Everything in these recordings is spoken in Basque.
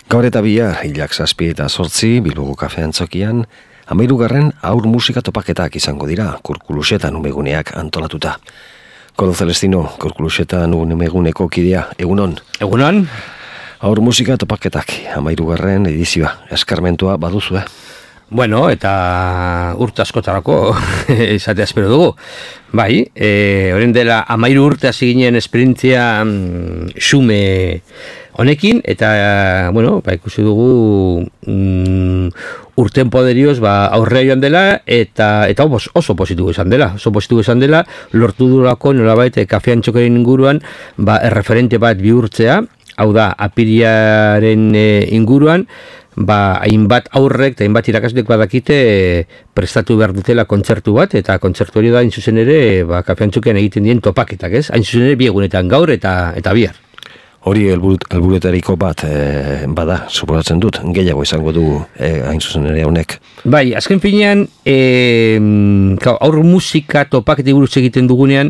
Gaur eta bihar, hilak 7 eta 8, Bilboko kafean txokian, 13. aur musika topaketak izango dira, Kurkuluxetan umeguneak antolatuta. Kodo Celestino, Kurkuluxetan umeguneko kidea, egunon? Egunon? Aur musika topaketak, 13. edizioa, eskarmentua baduzu, Bueno, eta urte askotarako izatea espero dugu. Bai, orain dela 13 urte hasi ginen esperientzia xume honekin, eta, bueno, ikusi dugu urten poderioz aurrea joan dela, eta oso positibo izan dela, lortu durako nolabait kafean txokeren inguruan, erreferente bat bihurtzea, hau da, apiriaren inguruan, hainbat aurrek eta hainbat irakaslek badakite prestatu behar dutela kontzertu bat, eta kontzertu hori da, hain zuzen ere, kafean txokean egiten dien topaketak, ez? Hain zuzen ere, biegunetan gaur eta bihar. Hori helburuetariko bat bada, suposatzen dut, gehiago izango du hain zuzen ere honek. Bai, azken finean, aur musika topaketi buruz egiten dugunean,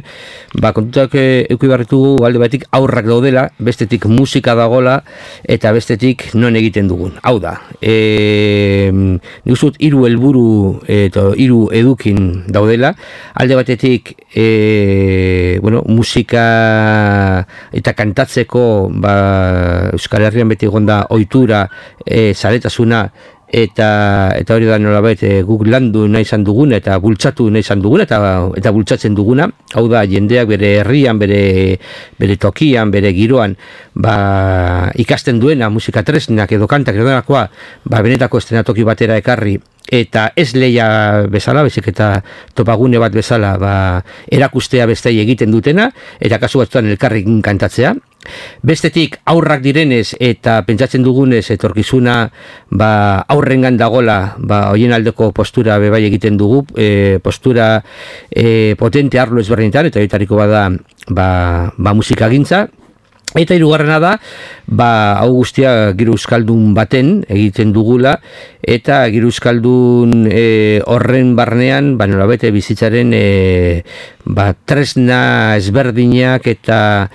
kontutak euki barritugu alde batetik aurrak daudela, bestetik musika dagola, eta bestetik non egiten dugun. Hau da, nik uzut 3 helburu eta 3 edukin daudela, alde batetik musika eta kantatzeko Euskal Herrian beti egonda ohitura, zaletasuna, eta hori da nolabait guk landu nahi izan duguna eta bultzatu nahi izan duguna eta bultzatzen duguna. Hau da, jendeak bere herrian, bere tokian, bere giroan ikasten duena musika tresnak edo kantak edo delakoa benetako estenatoki batera ekarri, eta ez leia bezala, bezik eta topagune bat bezala erakustea bestei egiten dutena, eta kasu batzuan elkarrekin kantatzea. Bestetik aurrak direnez eta pentsatzen dugunez etorkizuna aurrengan dagola, hoien aldeko postura bebai egiten dugu, postura potente arlo ezberdinetan, eta horitariko bada musikagintza. Eta hirugarrena da, hau guztia giro euskaldun baten egiten dugula, eta giro euskaldun horren barnean, nolabete bizitzaren tresna ezberdinak eta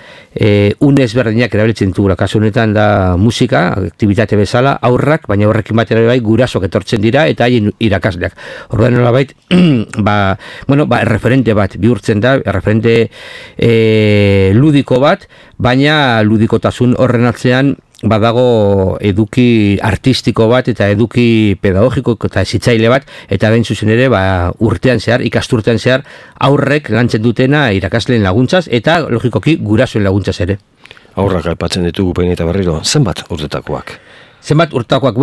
une ezberdinak erabiltzen dugula. Kasu honetan da musika, aktibitate bezala, aurrak, baina horrekin batera bai gurasok etortzen dira eta haien irakasleak. Orduan nolabait, erreferente bat bihurtzen da, erreferente ludiko bat, baina ludikotasun horren atzean badago eduki artistiko bat eta eduki pedagogiko eta hezitzaile bat, eta gain zuzen ere urtean zehar, ikasturtean zehar aurrek lantzen dutena irakasleen laguntzaz eta logikoki gurasoen laguntzaz ere. Aurrak aipatzen ditugu behin eta berriro, zenbat urtetakoak? Zenbat urtakoak,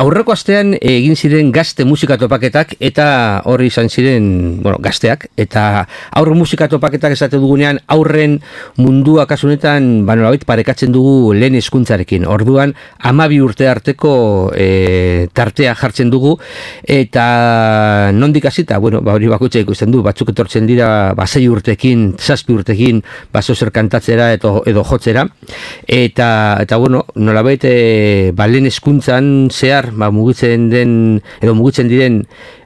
aurreko astean egin ziren gazte musika topaketak, eta horri izan ziren, gazteak, eta aurre musika topaketak esate dugunean, aurren mundua kasunetan, nolabait parekatzen dugu lehen hezkuntzarekin. Orduan, 12 urte arteko tartea jartzen dugu, eta nondik hasita, hori bakutxa ikusten du, batzuk etortzen dira, 6 urtekin, 7 urtekin, zer kantatzera edo jotzera, eta nolabait, lehen hezkuntzan zehar mugitzen diren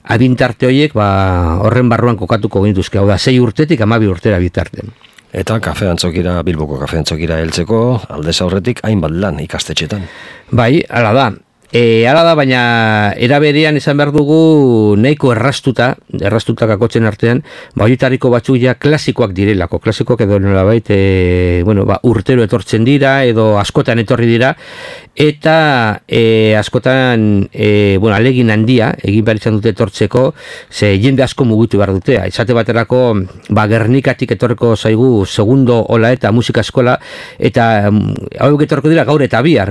adintarte horiek horren barruan kokatuko genituzke, hau da 6 urtetik 12 urtera bitarten. Eta kafean txokira, Bilboko kafean txokira heltzeko, aldez aurretik hainbat lan ikastetxetan. Bai, hala da, baina eraberean esan behar dugu nahiko errastutak akotzen artean, horietariko batzuk ja klasikoak direlako, klasikoak edo nolabait, urtero etortzen dira, edo askotan etorri dira, eta askotan, alegin handia, egin behar izan dute etortzeko, ze jende asko mugitu behar dutea. Izate baterako, Gernikatik etorreko zaigu segundo ola eta musika eskola, eta hauek etorreko dira gaur eta bihar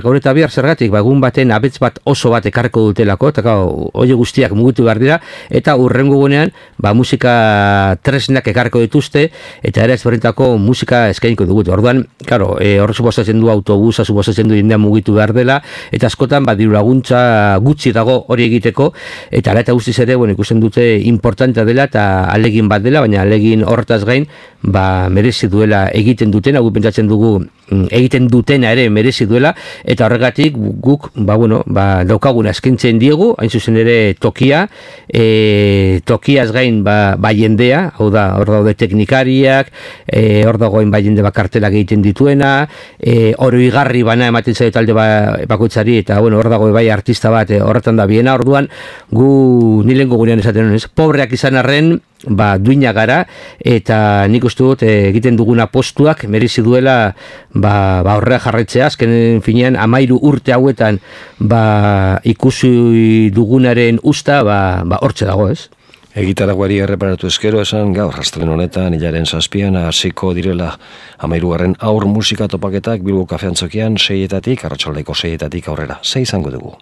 zergatik, egun baten abetz bat oso bat ekarreko dutelako, eta hori guztiak mugitu behar dira, eta urrengo gunean, musika tresnak ekarreko dituzte, eta ere ezberdintako musika eskainiko dugu. Orduan, hor suposatzen du autobusa, suposatzen du jendea mugitu behar dela, eta askotan diru laguntza gutxi dago hori egiteko, eta ala eta guztiz ere ikusten dute importantea dela eta alegin bat dela, baina alegin horretaz gain merezi duela egiten dutena, guk pentsatzen dugu egiten dutena ere merezi duela, eta horregatik guk daukaguna eskaintzen diegu, hain zuzen ere tokia, tokiaz gain jendea, hau da, hor daude teknikariak, hor dagoen jende bakartelak egiten dituena, oroigarri bana ematen zaio talde bakoitzari, eta hor dago artista bat horretan da biena, orduan gu nilengo gurean esaten honez, pobreak izan arren, duina gara, eta nik uste dut egiten duguna postuak merezi duela horrela jarraitzea, azkenen finean 13 urte hauetan ikusi dugunaren usta hortxe dago, ez? Egitaraguari erreparatu eskero esan gaur astelehen honetan hilaren 7 hasiko direla 13. Haur musika topaketak Bilbo Kafeantzokian 6-etatik, arratsaldeko 6-etatik aurrera. Ze izango dugu?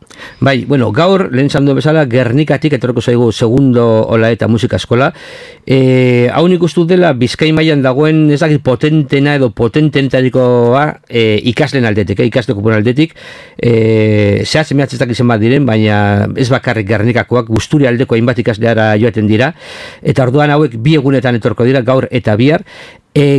Bai, gaur lehen esan duen bezala Gernikatik etorriko zaigu segundo Olaeta musika eskola. Hau nik uste dela Bizkai mailan dagoen ez dakit potentena edo potententarikoa ikasleen aldetik, ikasleko pun aldetik. Zehaz emeatzen dakizen bat diren, baina ez bakarrik Gernikakoak, Gusturi aldeko hainbat ikasleara joaten dira, eta orduan hauek 2 egunetan etorko dira, gaur eta bihar.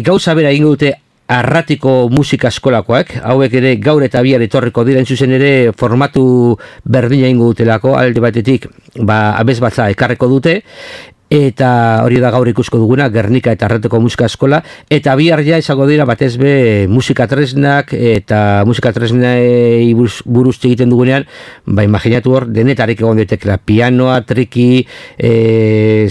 Gauza bera egingo dute Arratiko musika eskolakoak, hauek ere gaur eta bihar etorriko dira, zuzen ere formatu berdina egingo dutelako, alde batetik abesbatza ekarreko dute, eta hori da gaur ikusko duguna, Gernika eta Arratiko musika eskola, eta bihar ja izango dira batez be musika tresnak, eta musika tresnei buruz egiten dugunean, imaginatu hor, denetarik egon detekela, pianoa, triki,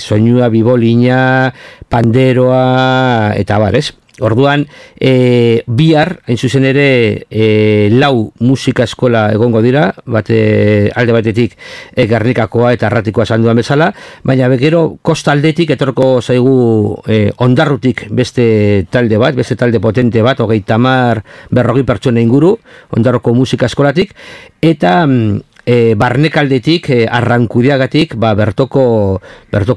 soinua, bibolina, panderoa, eta ez? Orduan, bihar, hain zuzen ere, 4 musika eskola egongo dira, alde batetik Gernikakoa eta Arratikoa esan duan bezala, baina gero kostaldetik etorko zaigu Ondarrutik beste talde bat, beste talde potente bat, 30-40 pertsona inguru, Ondarruko musika eskolatik, eta barnekaldetik, Arrankudiagatik, bertoko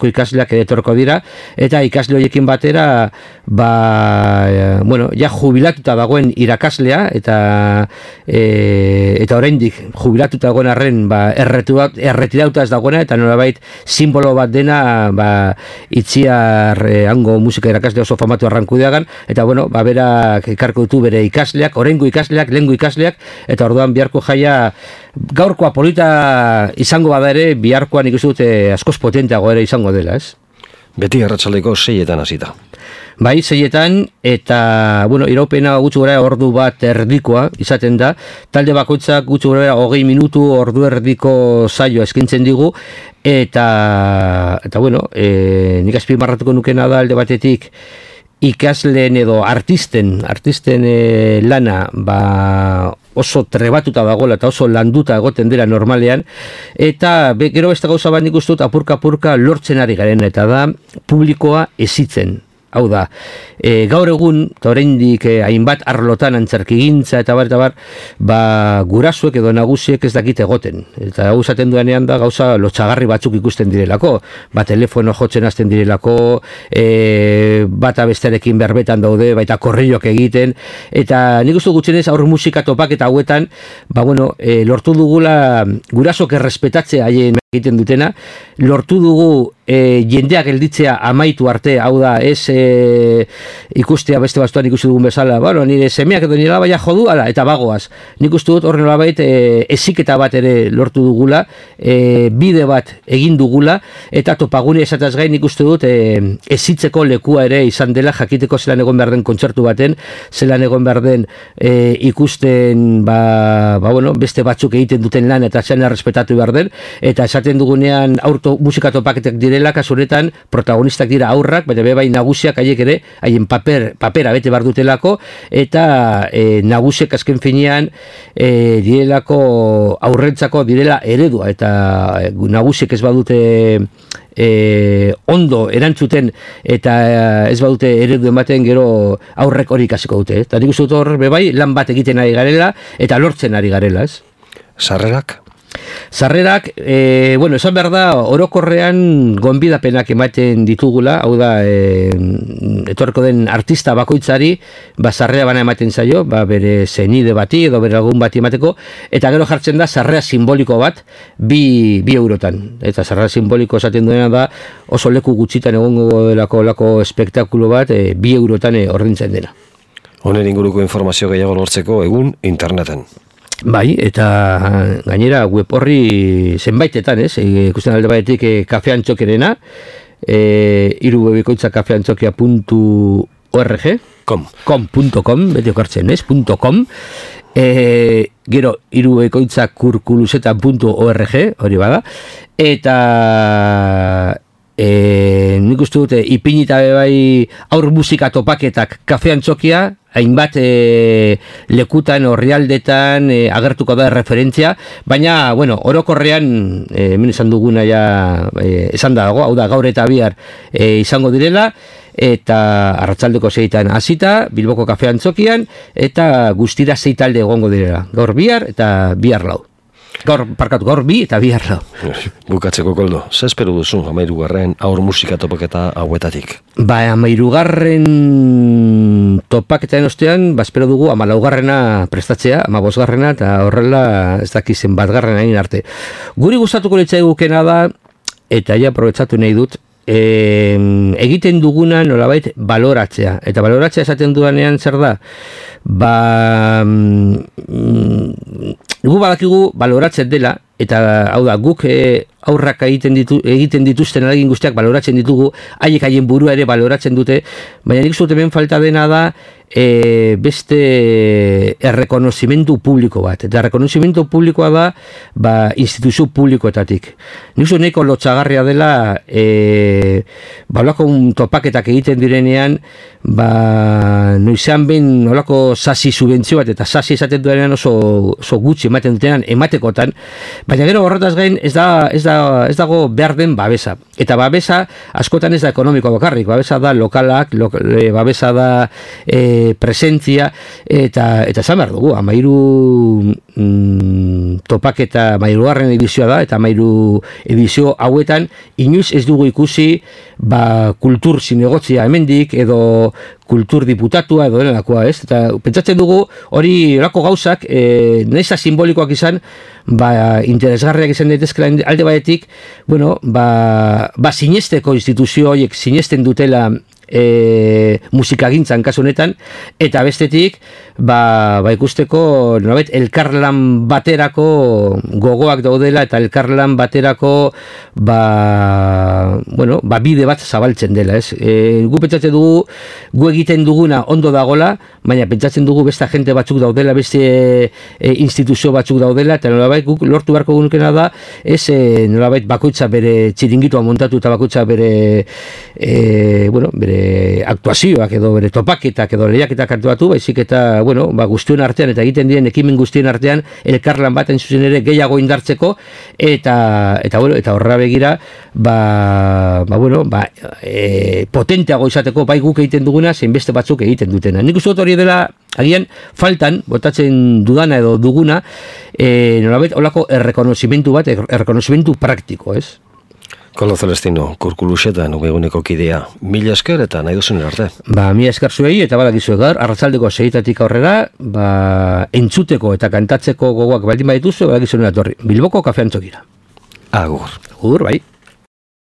ikasleak etorko dira, eta ikasle horiekin batera, ja jubilatuta dagoen irakaslea, eta oraindik jubilatuta dagoen arren, erretiratuta ez dagoena, eta nolabait simbolo bat dena, Itziar hango musika irakaslea oso famatu Arrankudiagan, eta berak ekarko ditu bere ikasleak, oraingo ikasleak, lehengo ikasleak, eta orduan biharko jaia gaurkoa polita izango bada ere, biharkoan ikusi dute askoz potenteago ere izango dela, ez? Beti arratsaldeko 6-etan hasita. Bai, 6-etan, eta, iraupena gutxi gora ordu bat erdikoa izaten da, talde bakoitzak gutxi gora 20 minutu ordu erdiko saioa eskintzen digu, eta nik azpimarratuko nukena da alde batetik, ikasleen edo artisten lana oso trebatuta dagoela eta oso landuta egoten dela normalean, eta gero beste gauza bat nik uste dut apurka lortzen ari garen, eta da publikoa hezitzen. Hau da, gaur egun, eta oraindik hainbat arlotan antzerkigintza eta bar, gurasuek edo nagusiek ez dakite egoten. Eta hau zaten duanean da gauza lotxagarri batzuk ikusten direlako, telefono jotzen hasten direlako, bata bestearekin berbetan daude, baita korrilloak egiten, eta nik uste gutxenez aur musika topak eta hauetan, lortu dugula gurasok errespetatzea haien egiten dutena, lortu dugu jendeak gelditzea amaitu arte, hau da, ez ikustea beste bastuan ikusi dugun bezala, nire semeak edo nire labaia jodu, eta bagoaz. Nik uste dut horren labait eziketa bat ere lortu dugula, bide bat egin dugula, eta topagune esataz gain nik uste dut ezitzeko lekua ere izan dela, jakiteko zelan egon behar den kontzertu baten, zelan egon behar den ikusten beste batzuk egiten duten lan eta zelan errespetatu behar den, eta esaten dugunean musika topaketak direla, kasuretan protagonistak dira aurrak, baina bai nagusiak haiek ere, haien papera bete behar dutelako, eta nagusiek azken finean direlako aurrentzako direla eredua, eta nagusiek ez badute ondo erantzuten eta ez badute eredu ematen, gero aurrek hori ikasiko dute. Eta nik uste dut hor, bai, lan bat egiten ari garela eta lortzen ari garela, ez? Sarrerak? Sarrerak, bueno, esan behar da, orokorrean gonbidapenak ematen ditugula, hau da, etorreko den artista bakoitzari, sarrera bana ematen zaio, bere zenide bati edo bere lagun bati emateko, eta gero jartzen da sarrera simboliko bat, bi eurotan. Eta sarrera simboliko esaten duena da, oso leku gutxitan egongo delako espektakulo bat, 2 eurotan ordintzen dena. Honen inguruko informazio gehiago lortzeko egun interneten. Bai, eta gainera web horri zenbaitetan, ikusten alde batetik kafeantxokerena, irubebikoitza kafeantxokia.org .com, beti okartzen, .com, gero irubebikoitza kurkuluseta.org, hori bada, eta nik uste dute ipinita bai aur musika topaketak kafeantxokia, hainbat lekutan, orrialdetan agertuko da referentzia, baina, bueno, orokorrean hemen esan duguna ja esan dago, hau da gaur eta bihar izango direla, eta arratsaldeko 6etan hasita, Bilboko kafeantzokian, eta guztira 6 talde egongo direla, gaur bihar eta bihar lau. Gaur bi eta bihar lau. Bukatzeko, Koldo, ze espero duzu 13. aur musika topaketa hauetatik? 13. topaketaren ostean, espero dugu 14. prestatzea, 15. eta horrela ez dakizen 1. hain arte. Guri gustatuko litzaigukena da, eta ja aprobetxatu nahi dut, egiten duguna nolabait baloratzea. Eta baloratzea esaten dudanean zer da? Gu badakigu baloratzen dela, eta hau da, guk aurrak egiten dituzten eragin guztiak baloratzen ditugu, haien burua ere baloratzen dute, baina nik zut hemen falta dena da beste errekonozimentu publiko bat. Eta errekonozimentu publikoa da instituzio publikoetatik. Nik zut nahiko lotxagarria dela olako topaketak egiten direnean, noizean behin olako sasi subentzio bat, eta sasi esaten duenean oso gutxi ematen dutenan ematekotan, baina gero horretaz gain ez dago behar den babesa. Eta babesa askotan ez da ekonomiko bakarrik, babesa da lokalak, babesa da presentzia, eta esan behar dugu, 13 topaketa 13. edizioa da, eta 13 edizio hauetan inoiz ez dugu ikusi kultur zinegotzia hemendik, edo kultur diputatua edo denelakoa, ez? Eta pentsatzen dugu hori orako gauzak nahiz simbolikoak izan, interesgarriak izan daitezkela alde batetik, bueno, sinesteko instituzio horiek sinesten dutela musikagintzan kasu honetan, eta bestetik ikusteko nolabait elkarlan baterako gogoak daudela, eta elkarlan baterako bide bat zabaltzen dela, ez? Gu pentsatzen dugu gu egiten duguna ondo dagola, baina pentsatzen dugu beste agente batzuk daudela, beste instituzio batzuk daudela, eta nolabait guk lortu beharko gunukena da, ez nolabait bakoitza bere txiringitua montatu, eta bakoitza bere aktuazioak edo bere topaketak edo lehiaketak hartu baizik eta, guztien artean eta egiten diren ekimen guztien artean elkarlan bat zuzen ere gehiago indartzeko, eta horra begira potenteago izateko bai guk egiten duguna zein beste batzuk egiten dutena. Nik uste dut hori dela agian faltan botatzen dudana edo duguna nolabait olako errekonozimentu bat, errekonozimentu praktiko, ez? Koldo Celestino, Kurkuluseta nubeguneko kidea, 1000 esker eta nahi duzun arte. 1000 esker zuei, eta badakizu egar, arratsaldeko 6etatik aurrera, entzuteko eta kantatzeko gogoak baldin badituzu, badakizuen atorri. Bilboko kafeantzokira. Agur. Agur, bai.